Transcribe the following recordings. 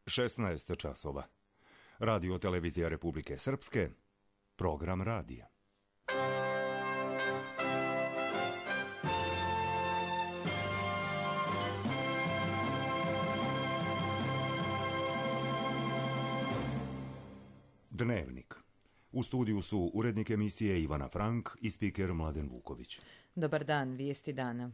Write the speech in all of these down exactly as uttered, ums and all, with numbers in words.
šesnaest časova. Radio televizija Republike Srpske, program radija. Dnevnik. U studiju su urednik emisije Ivana Frank i spiker Mladen Vuković. Dobar dan, vijesti dana.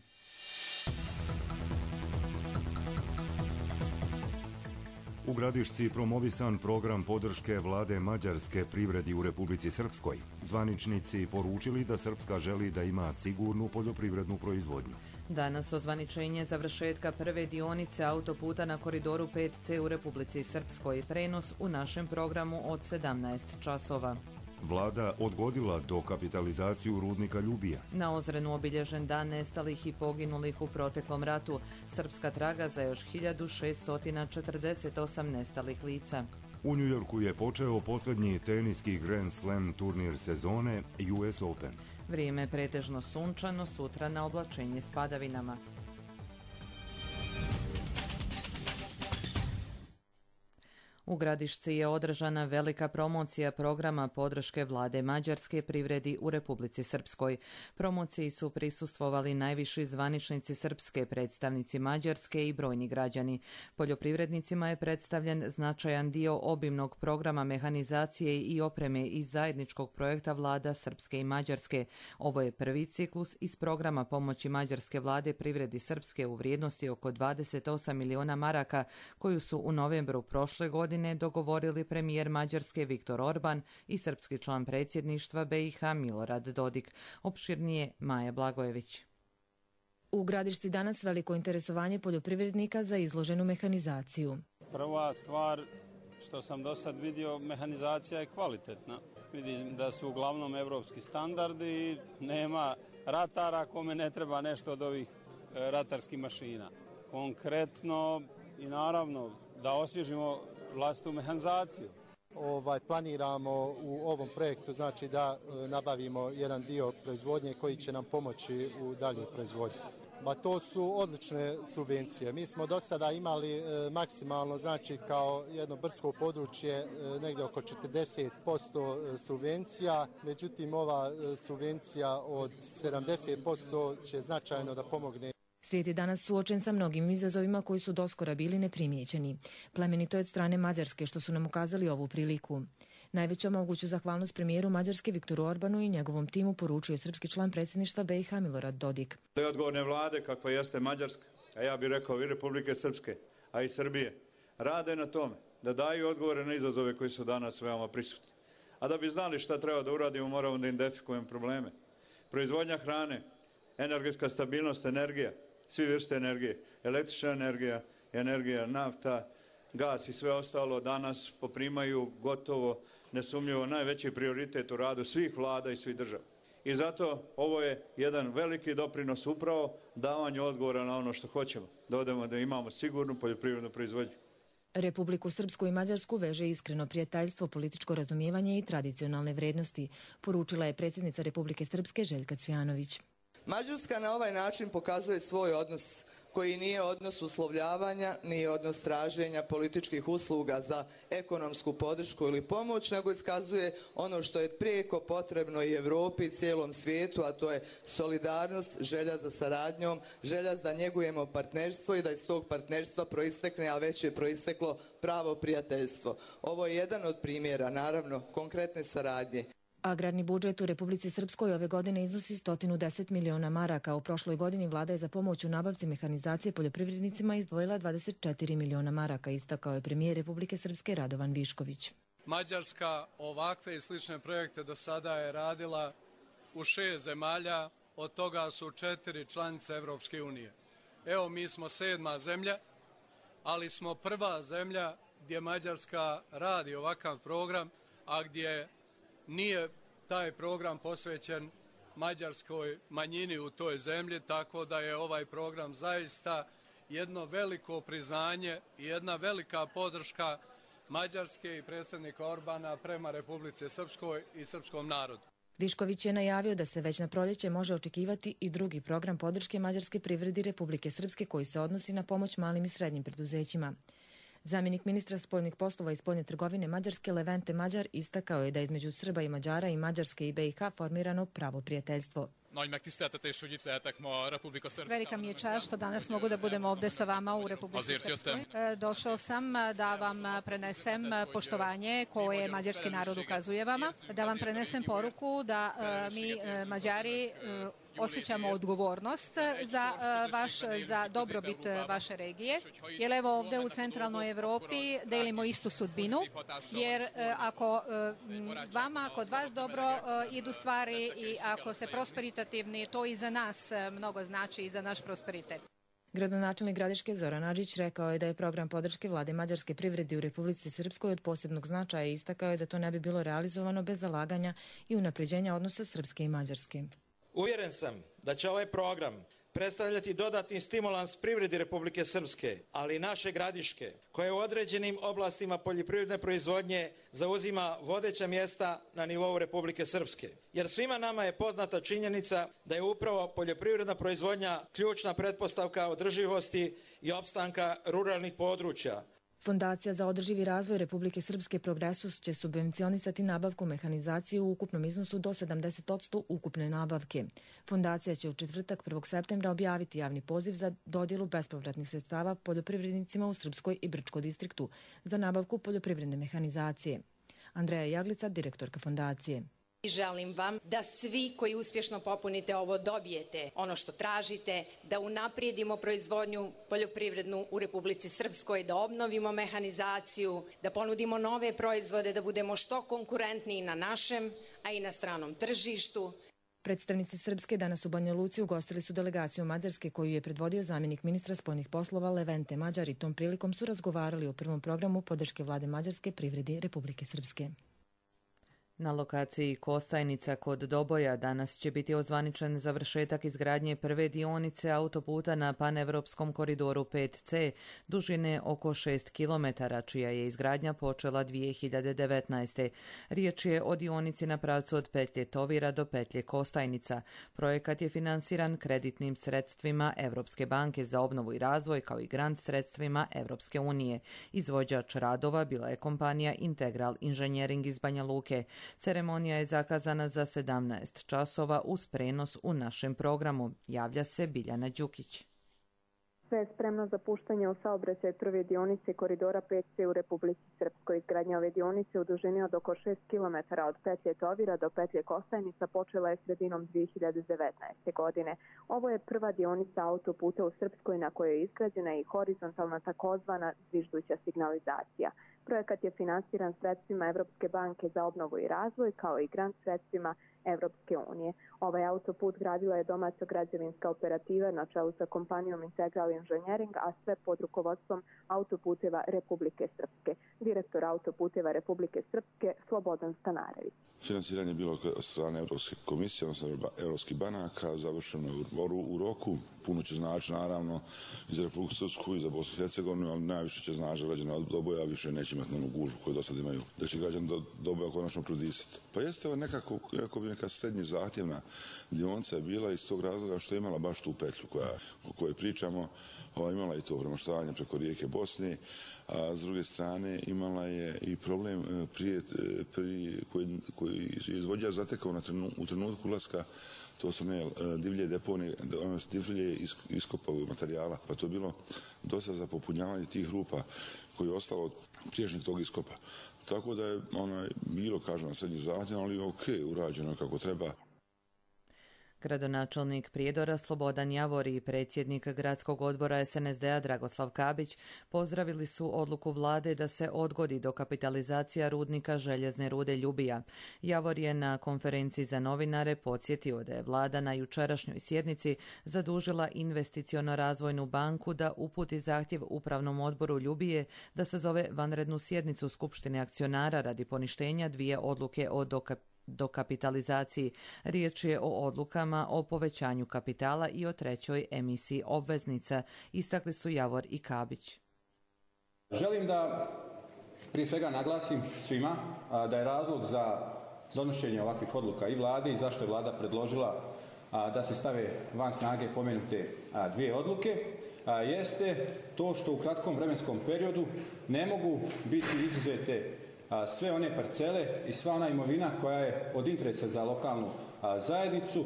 U Gradišci promovisan program podrške vlade Mađarske privredi u Republici Srpskoj. Zvaničnici poručili da Srpska želi da ima sigurnu poljoprivrednu proizvodnju. Danas ozvaničenje završetka prve dionice autoputa na koridoru pet ce u Republici Srpskoj. Prenos u našem programu od sedamnaest časova. Vlada odgodila dokapitalizaciju rudnika Ljubija. Na Ozrenu obilježen dan nestalih i poginulih u proteklom ratu. Srpska traga za još hiljadu šesto četrdeset osam nestalih lica. U Njujorku je počeo posljednji teniski Grand Slam turnir sezone U S Open. Vrijeme pretežno sunčano, sutra na oblačenje s padavinama. U Gradišci je održana velika promocija programa podrške vlade Mađarske privredi u Republici Srpskoj. Promociji su prisustvovali najviši zvaničnici Srpske, predstavnici Mađarske i brojni građani. Poljoprivrednicima je predstavljen značajan dio obimnog programa mehanizacije i opreme iz zajedničkog projekta vlada Srpske i Mađarske. Ovo je prvi ciklus iz programa pomoći Mađarske vlade privredi Srpske u vrijednosti oko dvadeset osam miliona maraka, koju su u novembru prošle godine dogovorili premijer Mađarske Viktor Orban i srpski član predsjedništva be i ha Milorad Dodik. Opširnije Maja Blagojević. U Gradišci danas veliko interesovanje poljoprivrednika za izloženu mehanizaciju. Prva stvar što sam do sad vidio, mehanizacija je kvalitetna. Vidim da su uglavnom evropski standardi i nema ratara kome ne treba nešto od ovih ratarskih mašina. Konkretno i naravno da osvježimo vlastitu mehanizaciju. Ovaj, planiramo u ovom projektu znači da e, nabavimo jedan dio proizvodnje koji će nam pomoći u daljnjoj proizvodnji. Ma to su odlične subvencije. Mi smo do sada imali e, maksimalno znači kao jedno brdsko područje e, negdje oko četrdeset posto subvencija, međutim ova e, subvencija od sedamdeset posto će značajno da pomogne. Svijet je danas suočen sa mnogim izazovima koji su doskora bili neprimijećeni. Plemenito je od strane Mađarske što su nam ukazali ovu priliku. Najveću moguću zahvalnost premijeru Mađarske Viktoru Orbanu i njegovom timu poručuje srpski član predsjedništva be i ha Milorad Dodik. Odgovorne vlade kakva jeste Mađarska, a ja bih rekao i Republike Srpske, a i Srbije, rade na tome da daju odgovore na izazove koji su danas veoma prisutni. A da bi znali šta treba da uradimo, moramo da identifikujemo probleme. Proizvodnja hrane, energetska stabilnost, energija, svi vrste energije, električna energija, energija, nafta, gas i sve ostalo danas poprimaju gotovo nesumnjivo najveći prioritet u radu svih vlada i svih država. I zato ovo je jedan veliki doprinos upravo davanju odgovora na ono što hoćemo, da odemo da imamo sigurnu poljoprivrednu proizvodnju. Republiku Srpsku i Mađarsku veže iskreno prijateljstvo, političko razumijevanje i tradicionalne vrednosti, poručila je predsjednica Republike Srpske Željka Cvijanović. Mađarska na ovaj način pokazuje svoj odnos koji nije odnos uslovljavanja, nije odnos traženja političkih usluga za ekonomsku podršku ili pomoć, nego iskazuje ono što je prijeko potrebno i Evropi i cijelom svijetu, a to je solidarnost, želja za saradnjom, želja da njegujemo partnerstvo i da iz tog partnerstva proistekne, a već je proisteklo pravo prijateljstvo. Ovo je jedan od primjera, naravno, konkretne saradnje. Agrarni budžet u Republici Srpskoj ove godine iznosi sto deset miliona maraka. U prošloj godini vlada je za pomoć u nabavci mehanizacije poljoprivrednicima izdvojila dvadeset četiri miliona maraka, istakao je premijer Republike Srpske Radovan Višković. Mađarska ovakve i slične projekte do sada je radila u šest zemalja, od toga su četiri članice Evropske unije. Evo, mi smo sedma zemlja, ali smo prva zemlja gdje Mađarska radi ovakav program, a gdje nije taj program posvećen mađarskoj manjini u toj zemlji, tako da je ovaj program zaista jedno veliko priznanje i jedna velika podrška Mađarske i predsjednika Orbana prema Republici Srpskoj i srpskom narodu. Višković je najavio da se već na proljeće može očekivati i drugi program podrške mađarske privredi Republike Srpske koji se odnosi na pomoć malim i srednjim preduzećima. Zamjenik ministra spoljnih poslova i spoljne trgovine Mađarske Levente Mađar istakao je da između Srba i Mađara i Mađarske i B i H formirano pravo prijateljstvo. Velika mi je čast što danas mogu da budem ovde sa vama u Republici Srpskoj. Došao sam da vam prenesem poštovanje koje mađarski narod ukazuje vama, da vam prenesem poruku da mi Mađari osjećamo odgovornost za vaš, za dobrobit vaše regije, jer evo ovde u centralnoj Evropi delimo istu sudbinu, jer ako vama, kod vas dobro idu stvari i ako se prosperitativni, to i za nas mnogo znači i za naš prosperitet. Gradonačelnik Gradiške Zoran Adžić rekao je da je program podrške vlade mađarske privredi u Republici Srpskoj od posebnog značaja i istakao je da to ne bi bilo realizovano bez zalaganja i unapređenja odnosa Srpske i Mađarske. Uvjeren sam da će ovaj program predstavljati dodatni stimulans privredi Republike Srpske, ali i naše Gradiške, koje u određenim oblastima poljoprivredne proizvodnje zauzima vodeća mjesta na nivou Republike Srpske. Jer svima nama je poznata činjenica da je upravo poljoprivredna proizvodnja ključna pretpostavka održivosti i opstanka ruralnih područja. Fondacija za održivi razvoj Republike Srpske Progresus će subvencionisati nabavku mehanizacije u ukupnom iznosu do sedamdeset posto ukupne nabavke. Fondacija će u četvrtak prvog septembra objaviti javni poziv za dodjelu bespovratnih sredstava poljoprivrednicima u Srpskoj i Brčkoj distriktu za nabavku poljoprivredne mehanizacije. Andreja Jaglica, direktorka fondacije. Želim vam da svi koji uspješno popunite ovo dobijete ono što tražite, da unaprijedimo proizvodnju poljoprivrednu u Republici Srpskoj, da obnovimo mehanizaciju, da ponudimo nove proizvode, da budemo što konkurentniji na našem, a i na stranom tržištu. Predstavnici Srpske danas u Banja Luci ugostili su delegaciju Mađarske koju je predvodio zamjenik ministra spoljnih poslova Levente Mađar i tom prilikom su razgovarali o prvom programu podrške vlade Mađarske privredi Republike Srpske. Na lokaciji Kostajnica kod Doboja danas će biti ozvaničen završetak izgradnje prve dionice autoputa na panevropskom koridoru pet ce dužine oko šest kilometara, čija je izgradnja počela dvije hiljade devetnaeste. Riječ je o dionici na pravcu od petlje Tovira do petlje Kostajnica. Projekat je finansiran kreditnim sredstvima Evropske banke za obnovu i razvoj kao i grant sredstvima Evropske unije. Izvođač radova bila je kompanija Integral Inženjering iz Banja Luke. Ceremonija je zakazana za sedamnaest časova uz prenos u našem programu. Javlja se Biljana Đukić. Sve je spremno za puštanje u saobraćaj prve dionice koridora pet ce u Republici Srpskoj. Izgradnja ove dionice u dužini od oko šest kilometara od petlje Tovira do petlje Kostajnica počela je sredinom dvije hiljade devetnaeste. godine. Ovo je prva dionica autoputa u Srpskoj na kojoj je izgrađena i horizontalna takozvana zvižduća signalizacija. Projekat je finansiran sredstvima Evropske banke za obnovu i razvoj kao i grant sredstvima Evropske unije. Ovaj autoput gradila je domaća građevinska operativa na čelu sa kompanijom Integral Inženjering, a sve pod rukovodstvom Autoputeva Republike Srpske. Direktor Autoputeva Republike Srpske Slobodan Stanarević. Finansiranje je bilo od strane Evropske komisije, odnosno Evropskih banaka, završeno u roku. Puno će znači, naravno, i za Republiku Srpsku i za Bosnu i Hercegovinu, ali najviše će znači građana od Doboja, više neće imati onu gužu koju do sad imaju, da će građani do Doboja konačno prodisati. Pa jeste ovo nekako, nekako bi neka srednje zahtjevna dionica je bila iz tog razloga što je imala baš tu petlju koja, o kojoj pričamo, ova, imala i to premoštavanje preko rijeke Bosne, a s druge strane imala je i problem prije, prije, koji, koji je izvođač zatekao na trenu, u trenutku ulaska, to su ne divlje deponije, divlje iskopavog materijala, pa to je bilo dosta za popunjavanje tih rupa koji je ostalo od priješnjeg tog iskopa. Tako da je ono bilo, kažem, na srednji zahtjev, ali ok, urađeno kako treba. Gradonačelnik Prijedora Slobodan Javor i predsjednik gradskog odbora es en es de a Dragoslav Kabić pozdravili su odluku vlade da se odgodi dokapitalizacija rudnika željezne rude Ljubija. Javor je na konferenciji za novinare podsjetio da je vlada na jučerašnjoj sjednici zadužila investiciono-razvojnu banku da uputi zahtjev upravnom odboru Ljubije da sazove vanrednu sjednicu Skupštine akcionara radi poništenja dvije odluke o dokapitalizaciji dokapitalizaciji. Riječ je o odlukama o povećanju kapitala i o trećoj emisiji obveznica, istakli su Javor i Kabić. Želim da prije svega naglasim svima da je razlog za donošenje ovakvih odluka i vlade i zašto je vlada predložila da se stave van snage pomenute dvije odluke, jeste to što u kratkom vremenskom periodu ne mogu biti izuzete sve one parcele i sva ona imovina koja je od interesa za lokalnu zajednicu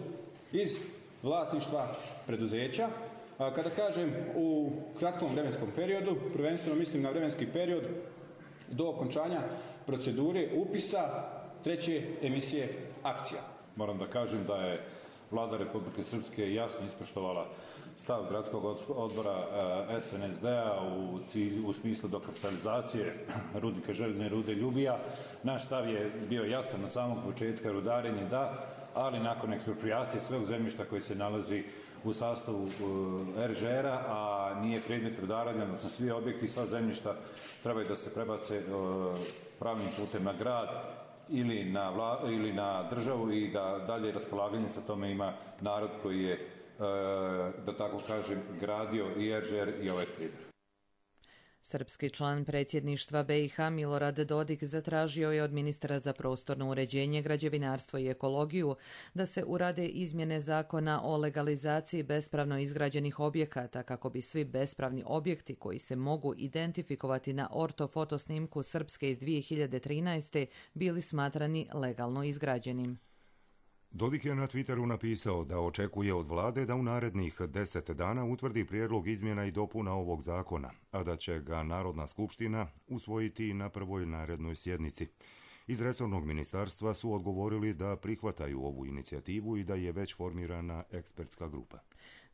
iz vlasništva preduzeća. Kada kažem u kratkom vremenskom periodu, prvenstveno mislim na vremenski period do okončanja procedure upisa treće emisije akcija. Moram da kažem da je Vlada Republike Srpske jasno ispoštovala stav gradskog odbora S N S D-a u cilju, u smislu dokapitalizacije rudnika željezne rude Ljubija. Naš stav je bio jasan od samog početka, rudarenje da, ali nakon eksproprijacije sveg zemljišta koji se nalazi u sastavu R Ž R-a, a nije predmet rudaranja, odnosno svi objekti i sva zemljišta trebaju da se prebace pravnim putem na grad ili na, vla, ili na državu i da dalje raspolaganje sa tome ima narod koji je, da tako kažem, gradio i R Ž R i ovaj prijedor. Srpski član predsjedništva B i H Milorad Dodik zatražio je od ministra za prostorno uređenje, građevinarstvo i ekologiju da se urade izmjene zakona o legalizaciji bespravno izgrađenih objekata kako bi svi bespravni objekti koji se mogu identifikovati na ortofotosnimku Srpske iz dvije hiljade trinaeste bili smatrani legalno izgrađenim. Dodik je na Twitteru napisao da očekuje od vlade da u narednih deset dana utvrdi prijedlog izmjena i dopuna ovog zakona, a da će ga Narodna skupština usvojiti na prvoj narednoj sjednici. Iz resornog ministarstva su odgovorili da prihvataju ovu inicijativu i da je već formirana ekspertska grupa.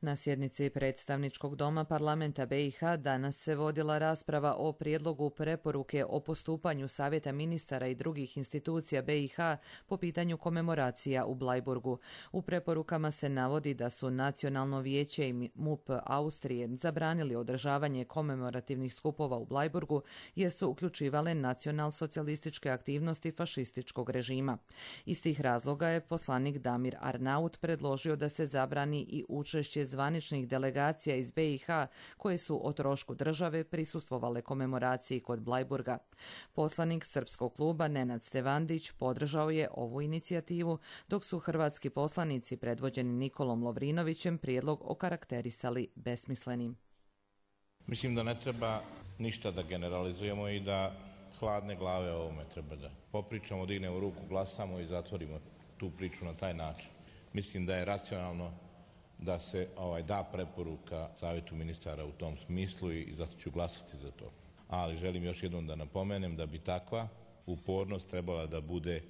Na sjednici predstavničkog doma parlamenta B i H danas se vodila rasprava o prijedlogu preporuke o postupanju Savjeta ministara i drugih institucija B i H po pitanju komemoracija u Blajburgu. U preporukama se navodi da su Nacionalno vijeće i M U P Austrije zabranili održavanje komemorativnih skupova u Blajburgu jer su uključivale nacionalsocijalističke aktivnosti fašističkog režima. Iz tih razloga je poslanik Damir Arnaut predložio da se zabrani i učešće zvaničnih delegacija iz B i H koje su o trošku države prisustvovale komemoraciji kod Blajburga. Poslanik Srpskog kluba Nenad Stevandić podržao je ovu inicijativu, dok su hrvatski poslanici predvođeni Nikolom Lovrinovićem prijedlog okarakterisali besmislenim. Mislim da ne treba ništa da generalizujemo i da hladne glave o ovome treba da popričamo, dignemo ruku, glasamo i zatvorimo tu priču na taj način. Mislim da je racionalno da se ovaj, da preporuka Savjetu ministara u tom smislu i zato ću glasati za to. Ali želim još jednom da napomenem da bi takva upornost trebala da bude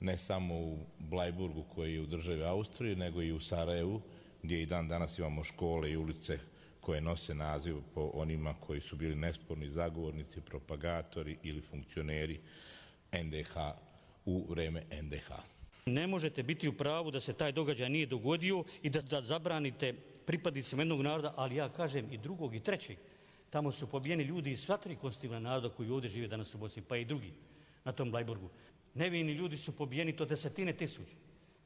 ne samo u Blajburgu koji je u državi Austrije, nego i u Sarajevu gdje i dan danas imamo škole i ulice koje nose naziv po onima koji su bili nesporni zagovornici, propagatori ili funkcioneri N D H u vreme N D H. Ne možete biti u pravu da se taj događaj nije dogodio i da, da zabranite pripadnicima jednog naroda, ali ja kažem i drugog i trećeg. Tamo su pobijeni ljudi iz sva tri konstitutivna naroda koji ovdje žive danas u Bosni, pa i drugi na tom Blajburgu. Nevini ljudi su pobijeni, to desetine tisuća.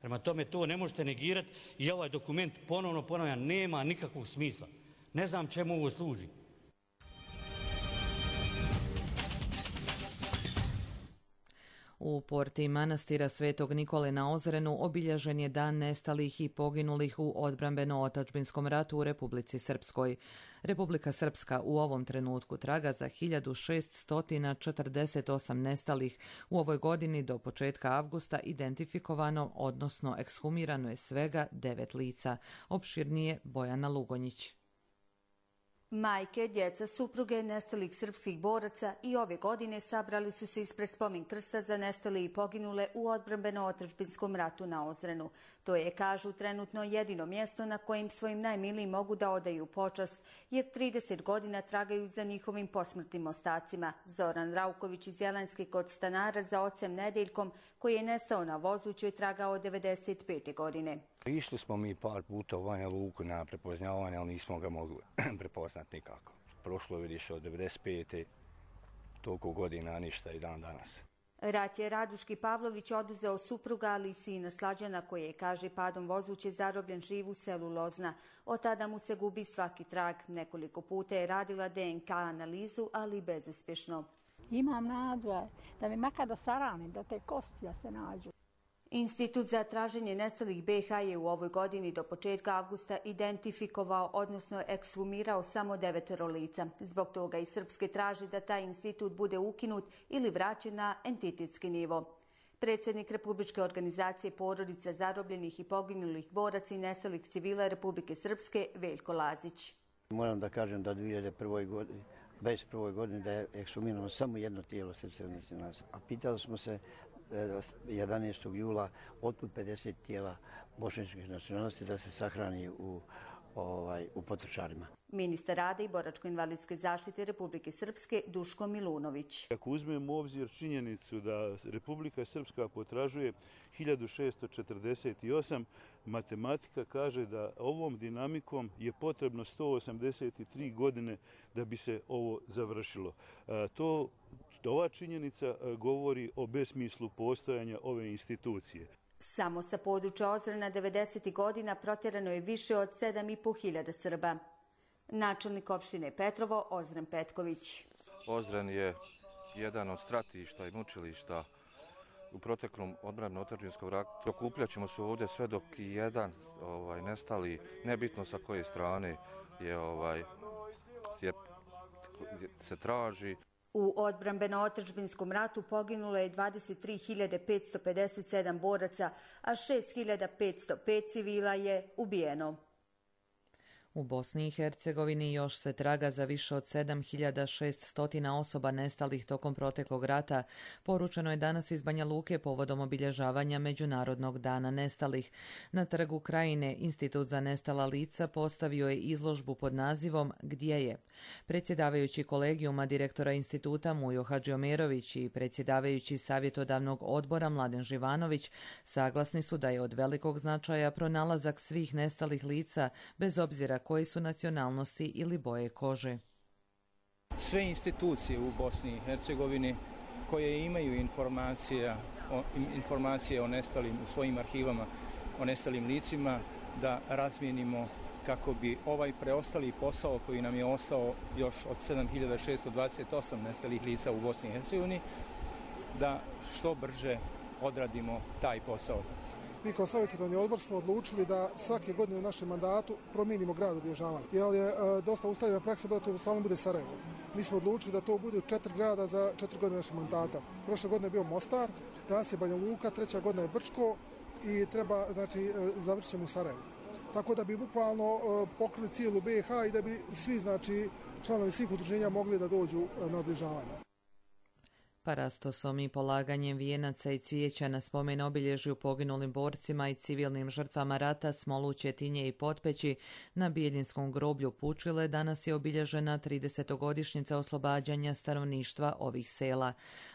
Prema tome to ne možete negirati i ovaj dokument ponovno ponavljam nema nikakvog smisla. Ne znam čemu ovo služi. U porti manastira Svetog Nikole na Ozrenu obilježen je dan nestalih i poginulih u odbrambeno-otačbinskom ratu u Republici Srpskoj. Republika Srpska u ovom trenutku traga za hiljadu šeststo četrdeset osam nestalih. U ovoj godini do početka avgusta identifikovano, odnosno ekshumirano je svega devet lica. Opširnije Bojana Lugonjić. Majke, djeca, supruge nestalih srpskih boraca i ove godine sabrali su se ispred spomen krsta za nestale i poginule u odbrambeno-otačbinskom ratu na Ozrenu. To je, kažu, trenutno jedino mjesto na kojim svojim najmilijim mogu da odaju počast, jer trideset godina tragaju za njihovim posmrtnim ostacima. Zoran Rauković iz Jelenske kod stanara za ocem Nedeljkom, koji je nestao na vozuću, je tragao devedeset pete godine. Išli smo mi par puta u Banja Luku na prepoznavanje, ali nismo ga mogli prepoznati nikako. Prošlo vidiš od devedeset pete toliko godina, ništa i dan danas. Rat je Raduški Pavlović oduzeo supruga, ali i sina Slađana, koji je, kaže, padom vozuće zarobljen živ u selu Lozna. Od tada mu se gubi svaki trag. Nekoliko puta je radila D N K analizu, ali bezuspješno. Imam nadu da mi makar do sarani, da te kosti da se nađu. Institut za traženje nestalih be i ha je u ovoj godini do početka avgusta identifikovao, odnosno ekshumirao samo devetoro lica. Zbog toga i Srpske traži da taj institut bude ukinut ili vraćen na entitetski nivo. Predsjednik Republičke organizacije porodica zarobljenih i poginulih boraca i nestalih civila Republike Srpske, Veljko Lazić. Moram da kažem da u dvije hiljade prve godine, dvadeset prve godine da je ekshumirano samo jedno tijelo srpske nacionalnosti. A pitali smo se jedanaestog jula otkud pedeset tijela bošnjačkih nacionalnosti da se sahrani u, ovaj, u Potočarima. Ministar rada i boračko-invalidske zaštite Republike Srpske Duško Milunović. Ako uzmemo u obzir činjenicu da Republika Srpska potražuje hiljadu šessto četrdeset osam, matematika kaže da ovom dinamikom je potrebno sto osamdeset tri godine da bi se ovo završilo. To Ova činjenica govori o besmislu postojanja ove institucije. Samo sa područja Ozrena devedesetih godina protjerano je više od sedam i po hiljada Srba. Načelnik opštine Petrovo, Ozren Petković. Ozren je jedan od stratišta i mučilišta u proteklom odbrambeno-otadžbinskom ratu. Okupljat ćemo se ovdje sve dok i jedan ovaj, nestali, nebitno sa koje strane je, ovaj, je, se traži. U odbrambeno-otadžbinskom ratu poginulo je dvadeset tri hiljade petsto pedeset sedam boraca, a šest hiljada petsto pet civila je ubijeno. U Bosni i Hercegovini još se traga za više od sedam hiljada šesto osoba nestalih tokom proteklog rata, poručeno je danas iz Banja Luke povodom obilježavanja Međunarodnog dana nestalih. Na Trgu Krajine Institut za nestala lica postavio je izložbu pod nazivom Gdje je? Predsjedavajući kolegijuma direktora instituta Mujo Hadžiomerović i predsjedavajući savjetodavnog odbora Mladen Živanović saglasni su da je od velikog značaja pronalazak svih nestalih lica bez obzira koje su nacionalnosti ili boje kože. Sve institucije u Bosni i Hercegovini koje imaju informacije o, informacije o nestalim u svojim arhivama o nestalim licima da razmijenimo kako bi ovaj preostali posao koji nam je ostao još od sedam hiljada šesto dvadeset osam nestalih lica u Bosni i Hercegovini da što brže odradimo taj posao. Mi kao savjetodavni odbor smo odlučili da svake godine u našem mandatu promijenimo grad obilježavanja. Jer je e, dosta ustaljena praksa da to stalno bude Sarajevo. Mi smo odlučili da to bude četiri grada za četiri godine našeg mandata. Prošle godine je bio Mostar, danas je Banja Luka, treća godina je Brčko i treba, znači, e, završit ćemo u Sarajevu. Tako da bi bukvalno e, pokrili cijelu be i ha i da bi svi, znači, članovi svih udruženja mogli da dođu e, na obilježavanje. Parastosom i polaganjem vijenaca i cvijeća na spomen obilježju poginulim borcima i civilnim žrtvama rata Smolu, Četinje i Potpeći na Biljinskom groblju Pučile danas je obilježena tridesetogodišnjica oslobađanja stanovništva ovih sela.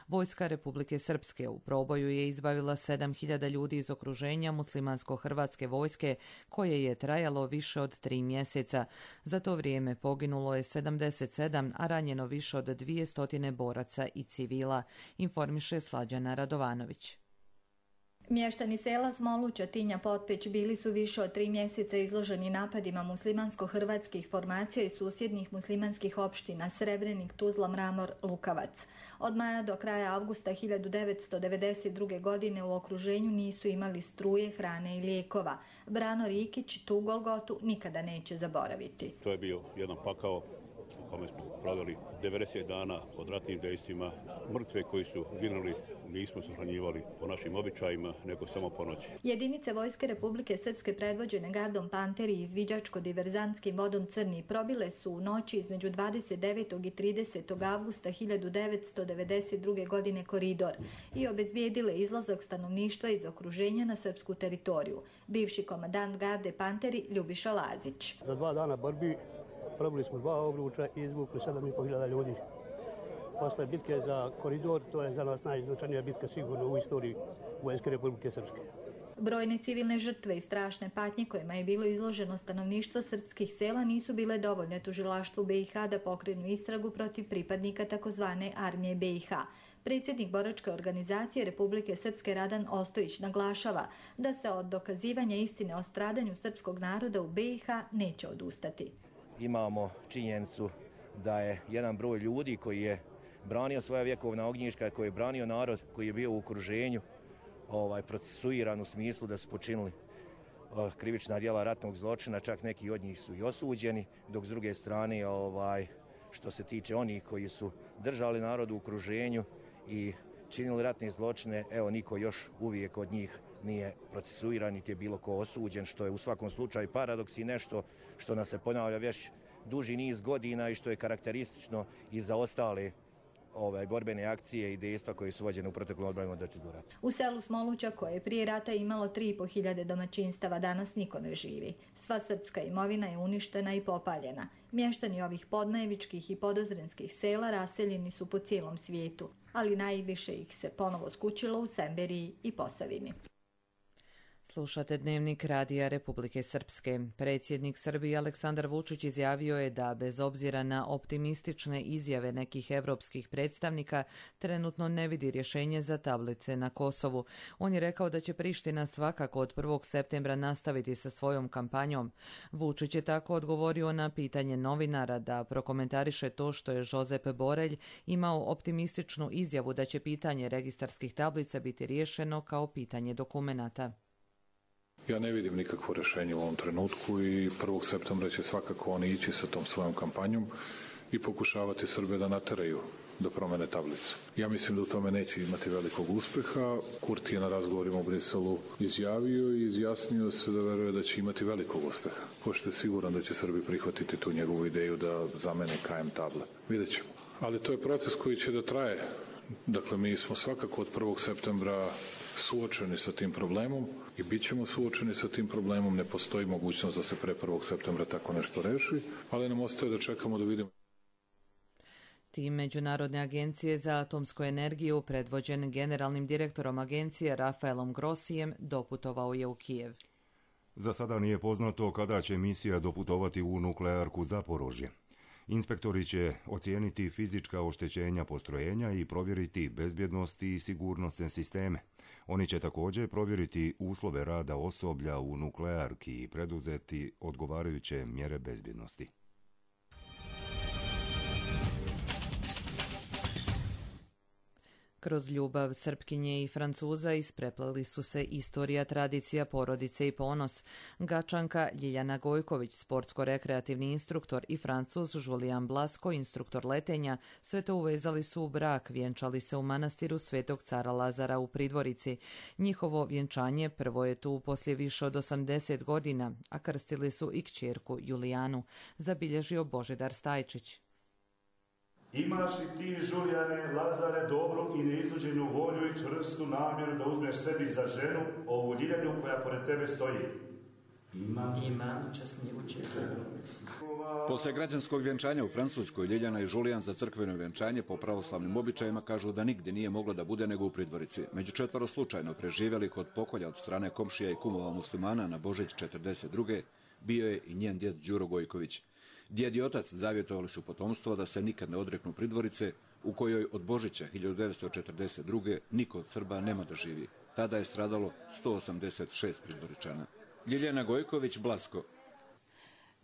Vojska Republike Srpske u proboju je izbavila sedam hiljada ljudi iz okruženja muslimansko-hrvatske vojske koje je trajalo više od tri mjeseca. Za to vrijeme poginulo je sedamdeset sedam, a ranjeno više od dvjesto boraca i civila, informiše Slađana Radovanović. Mještani sela Smolu, Četinja, Potpeć bili su više od tri mjeseca izloženi napadima muslimansko-hrvatskih formacija i susjednih muslimanskih opština Srebrenik, Tuzla, Mramor, Lukavac. Od maja do kraja avgusta hiljadu devetsto devedeset druge. godine u okruženju nisu imali struje, hrane i lijekova. Brano Rikić tu golgotu nikada neće zaboraviti. To je bio jedan pakao u kome smo proveli devedeset dana pod ratnim dejstvima. Mrtve koji su ginuli nismo sahranjivali po našim običajima, nego samo po noći. Jedinice Vojske Republike Srpske predvođene gardom Panteri i izviđačko-diverzantskim vodom Crni probile su u noći između dvadeset devetog i tridesetog avgusta hiljadu devetsto devedeset druge. godine koridor i obezbijedile izlazak stanovništva iz okruženja na srpsku teritoriju. Bivši komandant garde Panteri Ljubiša Lazić. Za dva dana borbi probili smo dva obruča i izvukli sedam i po hiljada ljudi. Posle bitke za koridor, to je za nas najznačajnija bitka sigurno u istoriji Vojske Republike Srpske. Brojne civilne žrtve i strašne patnje kojima je bilo izloženo stanovništvo srpskih sela nisu bile dovoljne tužilaštvu be i ha da pokrenu istragu protiv pripadnika takozvane armije be i ha. Predsjednik boračke organizacije Republike Srpske Radan Ostojić naglašava da se od dokazivanja istine o stradanju srpskog naroda u be i ha neće odustati. Imamo činjenicu da je jedan broj ljudi koji je branio svoja vjekovna ognjišta, koji je branio narod, koji je bio u okruženju ovaj, procesuiran u smislu da su počinili krivična djela ratnog zločina, čak neki od njih su i osuđeni, dok s druge strane ovaj, što se tiče onih koji su držali narod u okruženju i činili ratne zločine, evo niko još uvijek od njih nije procesuiran niti je bilo ko osuđen, što je u svakom slučaju paradoks i nešto što nas se ponavlja već duži niz godina i što je karakteristično i za ostale ove borbene akcije i dejstva koje su vođene u proteklom odbrani od rata. U selu Smoluća, koje je prije rata imalo tri i po hiljade domaćinstava, danas niko ne živi. Sva srpska imovina je uništena i popaljena. Mještani ovih podmajevičkih i podozrenskih sela raseljeni su po cijelom svijetu, ali najviše ih se ponovo skućilo u Semberiji i Posavini. Slušate Dnevnik Radija Republike Srpske. Predsjednik Srbije Aleksandar Vučić izjavio je da, bez obzira na optimistične izjave nekih evropskih predstavnika, trenutno ne vidi rješenje za tablice na Kosovu. On je rekao da će Priština svakako od prvog septembra nastaviti sa svojom kampanjom. Vučić je tako odgovorio na pitanje novinara da prokomentariše to što je Josep Borelj imao optimističnu izjavu da će pitanje registarskih tablica biti riješeno kao pitanje dokumenata. Ja ne vidim nikakvo rješenje u ovom trenutku i prvog septembra će svakako oni ići sa tom svojom kampanjom i pokušavati Srbe da nateraju do promjene tablice. Ja mislim da u tome neće imati velikog uspjeha. Kurti je na razgovorima u Briselu izjavio i izjasnio se da veruje da će imati velikog uspjeha. Pošto je siguran da će Srbi prihvatiti tu njegovu ideju da zamene K M table. Vidjet ćemo. Ali to je proces koji će da traje. Dakle, mi smo svakako od prvog septembra suočeni sa tim problemom i bit ćemo suočeni sa tim problemom. Ne postoji mogućnost da se pre prvog septembra tako nešto reši, ali nam ostaje da čekamo da vidimo. Tim Međunarodne agencije za atomsku energiju, predvođen generalnim direktorom agencije Rafaelom Grossijem, doputovao je u Kijev. Za sada nije poznato kada će misija doputovati u nuklearku Zaporožje. Inspektori će ocijeniti fizička oštećenja postrojenja i provjeriti bezbjednost i sigurnosne sisteme. Oni će također provjeriti uslove rada osoblja u nuklearki i preduzeti odgovarajuće mjere bezbjednosti. Kroz ljubav Srpkinje i Francuza isprepleli su se istorija, tradicija, porodice i ponos. Gačanka Ljiljana Gojković, sportsko-rekreativni instruktor, i Francuz Julian Blasko, instruktor letenja, sve to uvezali su u brak, vjenčali se u manastiru Svetog cara Lazara u Pridvorici. Njihovo vjenčanje prvo je tu poslije više od osamdeset godina, a krstili su i kćerku Julijanu, zabilježio Božidar Stajčić. Imaš li ti, Žulijane, Lazare, dobru i neizluđenu volju i čvrstu namjeru da uzmeš sebi za ženu ovu Ljiljanu koja pored tebe stoji? Imam. Imam, časnijevu čerku. Posle građanskog vjenčanja u Francuskoj, Ljiljana i Žulijan za crkveno vjenčanje po pravoslavnim običajima kažu da nigdje nije moglo da bude nego u Pridvorici. Među četvoro slučajno preživjeli kod pokolja od strane komšija i kumova muslimana na Božić četrdeset druge bio je i njen djed Đuro Gojković. Djed i otac zavjetovali su potomstvo da se nikad ne odreknu Pridvorice, u kojoj od Božića hiljadu devetsto četrdeset druge niko od Srba nema da živi. Tada je stradalo sto osamdeset šest Pridvoričana. Ljiljana Gojković, Blasko.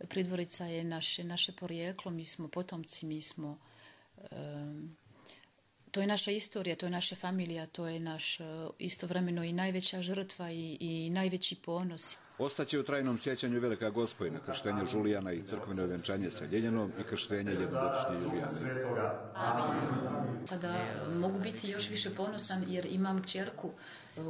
Pridvorica je naše, naše porijeklo, mi smo potomci, mi smo... Um, to je naša istorija, to je naša familija, to je naš uh, istovremeno i najveća žrtva i, i najveći ponos. Ostaće u trajnom sjećanju Velika Gospojna, krštenje Žulijana i crkveno vjenčanje sa Ljiljanom i krštenje jednogodišnje Julijane. Amin. Sada mogu biti još više ponosan jer imam kćerku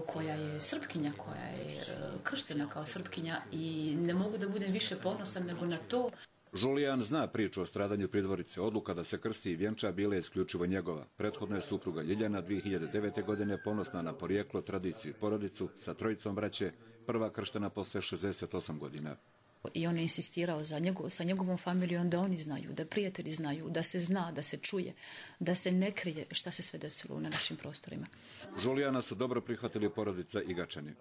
koja je Srpkinja, koja je krštena kao Srpkinja i ne mogu da budem više ponosan nego na to. Žulijan zna priču o stradanju Pridvorice. Odluka da se krsti i vjenča bila je isključivo njegova. Prethodno je supruga Ljiljana dvije hiljade devete. godine ponosna na porijeklo, tradiciju i porodicu sa trojicom braće, prva krštena posle šezdeset osam godina. I on je insistirao za njegov, sa njegovom familijom da oni znaju, da prijatelji znaju, da se zna, da se čuje, da se ne krije šta se sve desilo na našim prostorima. Žulijana su dobro prihvatili porodica i Gačani.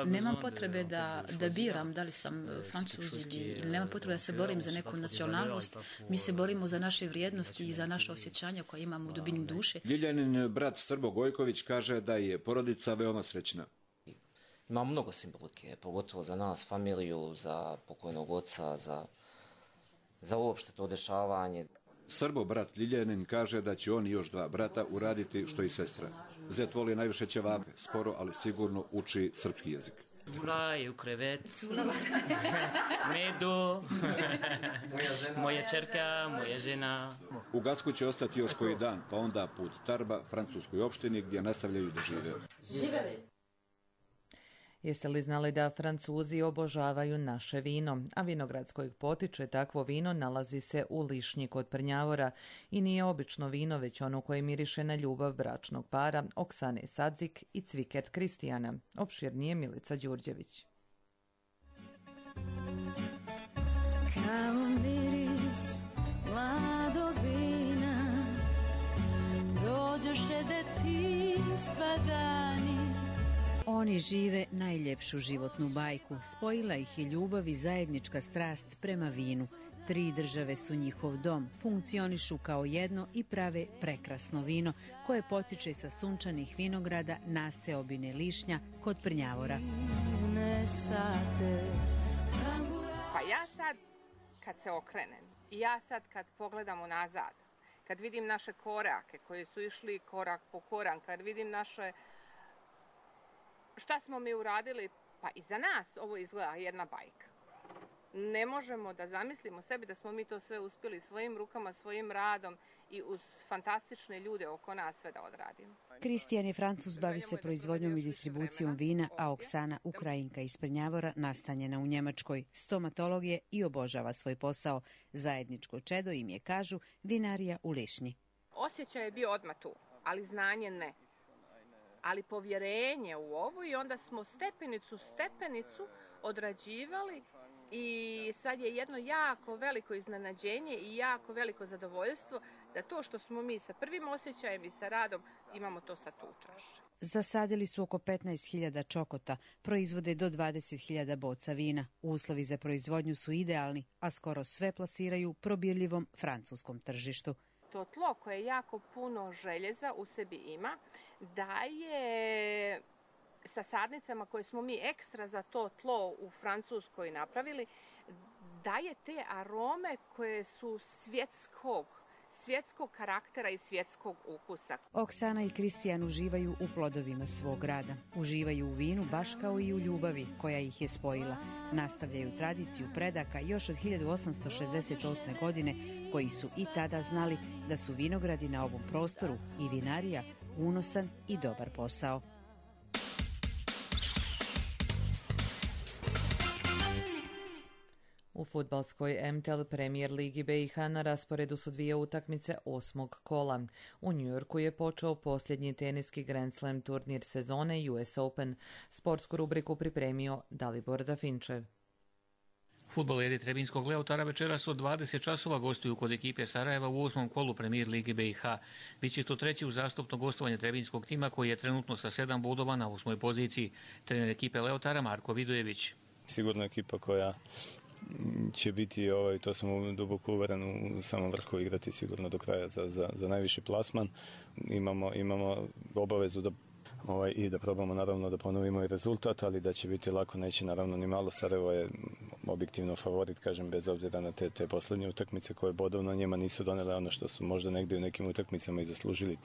Nemam potrebe da, da biram da li sam Francuz ili nemam potrebe da se borim za neku nacionalnost. Mi se borimo za naše vrijednosti i za naše osjećanja koje imamo u dubini duše. Ljiljanin brat Srbo Gojković kaže da je porodica veoma srećna. Ima mnogo simbolike, pogotovo za nas, familiju, za pokojnog oca, za, za uopšte to dešavanje. Srbo brat Ljiljanin kaže da će on i još dva brata uraditi što i sestra. Zet voli najviše ćevape, sporo ali sigurno uči srpski jezik. Cula je u krevet, medu, moja čerka, moja žena. U Gacku će ostati još koji dan, pa onda put Tarba, francuskoj opštini gdje nastavljaju da žive. Živeli! Jeste li znali da Francuzi obožavaju naše vino, a vinograd s kojeg potiče takvo vino nalazi se u Lišnji kod Prnjavora i nije obično vino, već ono koje miriše na ljubav bračnog para Oksane Sadzik i Cviket Kristijana. Opširnije Milica Đurđević. Kao miris mladog vina, dođoše detinjstva dani. Oni žive najljepšu životnu bajku. Spojila ih je ljubav i zajednička strast prema vinu. Tri države su njihov dom, funkcionišu kao jedno i prave prekrasno vino koje potiče sa sunčanih vinograda na seobine Lišnja kod Prnjavora. Pa ja sad kad se okrenem i ja sad kad pogledam unazad, kad vidim naše korake koji su išli korak po korak, kad vidim naše šta smo mi uradili, pa i za nas ovo izgleda jedna bajka. Ne možemo da zamislimo sebi da smo mi to sve uspjeli svojim rukama, svojim radom i uz fantastične ljude oko nas sve da odradimo. Kristijan je Francuz, bavi se proizvodnjom i distribucijom vina, a Oksana, Ukrajinka iz Prnjavora, nastanjena u Njemačkoj. Stomatolog je i obožava svoj posao. Zajedničko čedo im je, kažu, vinarija u Lišnji. Osjećaj je bio odmah tu, ali znanje ne. Ali povjerenje u ovo i onda smo stepenicu stepenicu odrađivali i sad je jedno jako veliko iznenađenje i jako veliko zadovoljstvo da to što smo mi sa prvim osjećajem i sa radom imamo to sad tu u čaši. Zasadili su oko petnaest hiljada čokota, proizvode do dvadeset hiljada boca vina. Uslovi za proizvodnju su idealni, a skoro sve plasiraju probirljivom francuskom tržištu. To tlo koje jako puno željeza u sebi ima, daje sa sadnicama koje smo mi ekstra za to tlo u Francuskoj napravili, daje te arome koje su svjetskog, svjetskog karaktera i svjetskog ukusa. Oksana i Kristijan uživaju u plodovima svog rada. Uživaju u vinu baš kao i u ljubavi koja ih je spojila. Nastavljaju tradiciju predaka još od hiljadu osamsto šezdeset osme. godine, koji su i tada znali da su vinogradi na ovom prostoru i vinarija unosan i dobar posao. U fudbalskoj M T L Premier Ligi B i H na rasporedu su dvije utakmice osmog kola. U Njujorku je počeo posljednji teniski Grand Slam turnir sezone U S Open. Sportsku rubriku pripremio Dalibor Dafinčev. Fudbaleri Trebinskog Leotara večeras od dvadeset časova gostuju kod ekipe Sarajeva u osmom kolu Premier Lige B i H. Biće to treći uzastopno gostovanje Trebinskog tima koji je trenutno sa sedam bodova na osmoj poziciji. Trener ekipe Leotara Marko Vidojević. Sigurno ekipa koja će biti, ovaj, to sam duboko uveren, u samom vrhu igrati sigurno do kraja za, za, za najviši plasman. Imamo, imamo obavezu da Ovaj, i da probamo naravno da ponovimo i rezultat, ali da će biti lako neće naravno ni malo. Sarajevo je objektivno favorit, kažem, bez obzira na te, te posljednje utakmice koje bodovno njima nisu donele ono što su možda negdje u nekim utakmicama i zaslužili.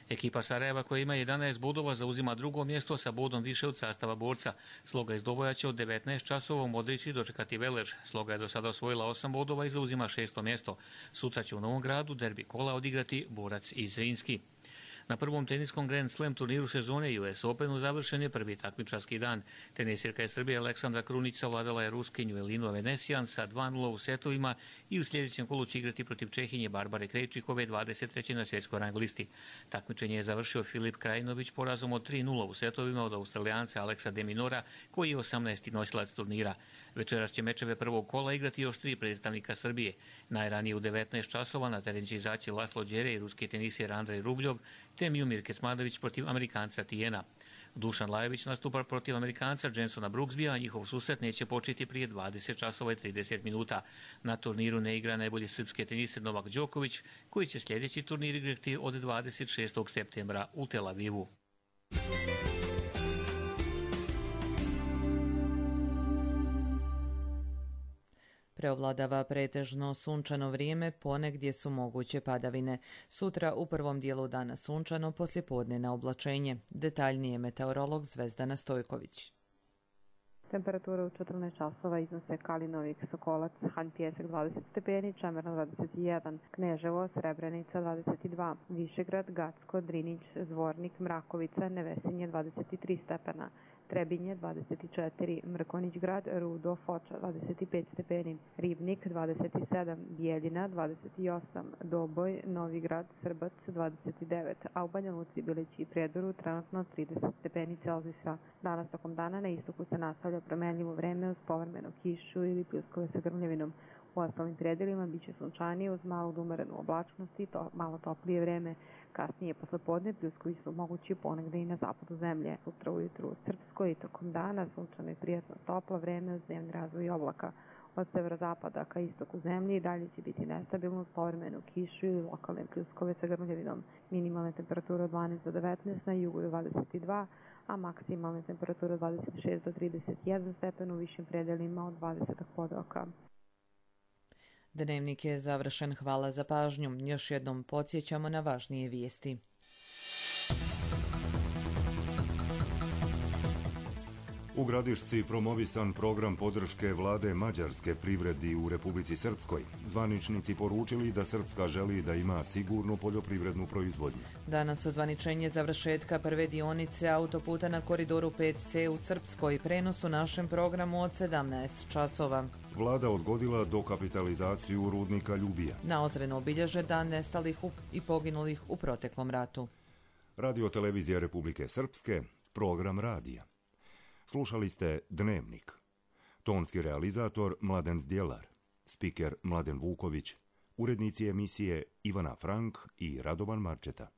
Ekipa Sarajeva koja ima jedanaest bodova zauzima drugo mjesto sa bodom više od sastava borca. Sloga iz Doboja će od devetnaest časova u Modrići dočekati Velež. Sloga je do sada osvojila osam bodova i zauzima šesto mjesto. Sutra će u Novom Gradu derbi kola odigrati Borac i Zrinski. Na prvom teniskom Grand Slam turniru sezone U S Openu završen je prvi takmičarski dan. Tenisirka iz Srbije Aleksandra Krunić savladala je Ruskinju Elinu Avenesijan sa dva nula u setovima i u sljedećem kolu će igrati protiv Čehinje Barbare Krejčikove dvadeset treće na svjetskoj rang listi. Takmičenje je završio Filip Krajinović porazom od tri nula u setovima od Australijanca Aleksa de Minora, koji je osamnaesti nosilac turnira. Večeras će mečeve prvog kola igrati još tri predstavnika Srbije. Najranije u devetnaest časova na teren će izaći Laslo Đere i ruski tenisir Andrej Rubljov, te Miomir Kecmanović protiv Amerikanca Tijena. Dušan Lajović nastupa protiv Amerikanca Jensona Brooksbya, a njihov susret neće početi prije dvadeset časova i trideset minuta. Na turniru ne igra najbolji srpski tenisir Novak Đoković, koji će sljedeći turnir igrati od dvadeset šestog septembra u Tel Avivu. Preovladava pretežno sunčano vrijeme, ponegdje su moguće padavine. Sutra u prvom dijelu dana sunčano, poslijepodne na oblačenje. Detaljnije meteorolog Zvezdana Stojković. Temperatura u četrnaest časova iznose Kalinovik, Sokolac, Hanj Pjesak dvadeset stepeni, Čemerna dvadeset jedan, Kneževo, Srebrenica dvadeset dva, Višegrad, Gacko, Drinić, Zvornik, Mrakovica, Nevesinje dvadeset tri stepena, Trebinje dvadeset četiri, Mrkonić grad, Rudo, Foča dvadeset pet stepeni, Ribnik dvadeset sedam, Bijeljina dvadeset osam, Doboj, Novi grad, Srbac dvadeset devet, a u Banja Luci, Bilići i Prijedoru trenutno trideset stepeni Celzijusa. Danas tokom dana na istoku se nastavlja promenljivo vreme uz povremenu kišu ili pljuskove sa grmljavinom. U ostalim predelima biće sunčanije uz malu umerenu oblačnost i to malo toplije vreme. Kasnije poslepodne pljuskovi su mogući ponegde i na zapadu zemlje. Sutra ujutru u Srpskoj i tokom dana sunčano i prijatno toplo vreme uz dnevni razvoj oblaka. Od severozapada ka istoku zemlje i dalje će biti nestabilno uz povremenu kišu ili lokalne pljuskove sa grmljavinom. Minimalne temperature od dvanaest do devetnaest, na jugu do dvadeset dva, a maksimalne temperature od dvadeset šest do trideset jedan stepen u višim predelima od dvadeset podoka. Dnevnik je završen. Hvala za pažnju. Još jednom podsjećamo na važnije vijesti. U Gradišci promovisan program podrške vlade mađarske privredi u Republici Srpskoj. Zvaničnici poručili da Srpska želi da ima sigurnu poljoprivrednu proizvodnju. Danas ozvaničenje završetka prve dionice autoputa na koridoru pet ce u Srpskoj. Prenos u našem programu od sedamnaest časova. Vlada odgodila dokapitalizaciju rudnika Ljubija. Na Ozrenu obilježe dan nestalih i poginulih u proteklom ratu. Radio televizija Republike Srpske, program radija. Slušali ste Dnevnik. Tonski realizator Mladen Zdjelar, spiker Mladen Vuković, urednici emisije Ivana Frank i Radovan Marčeta.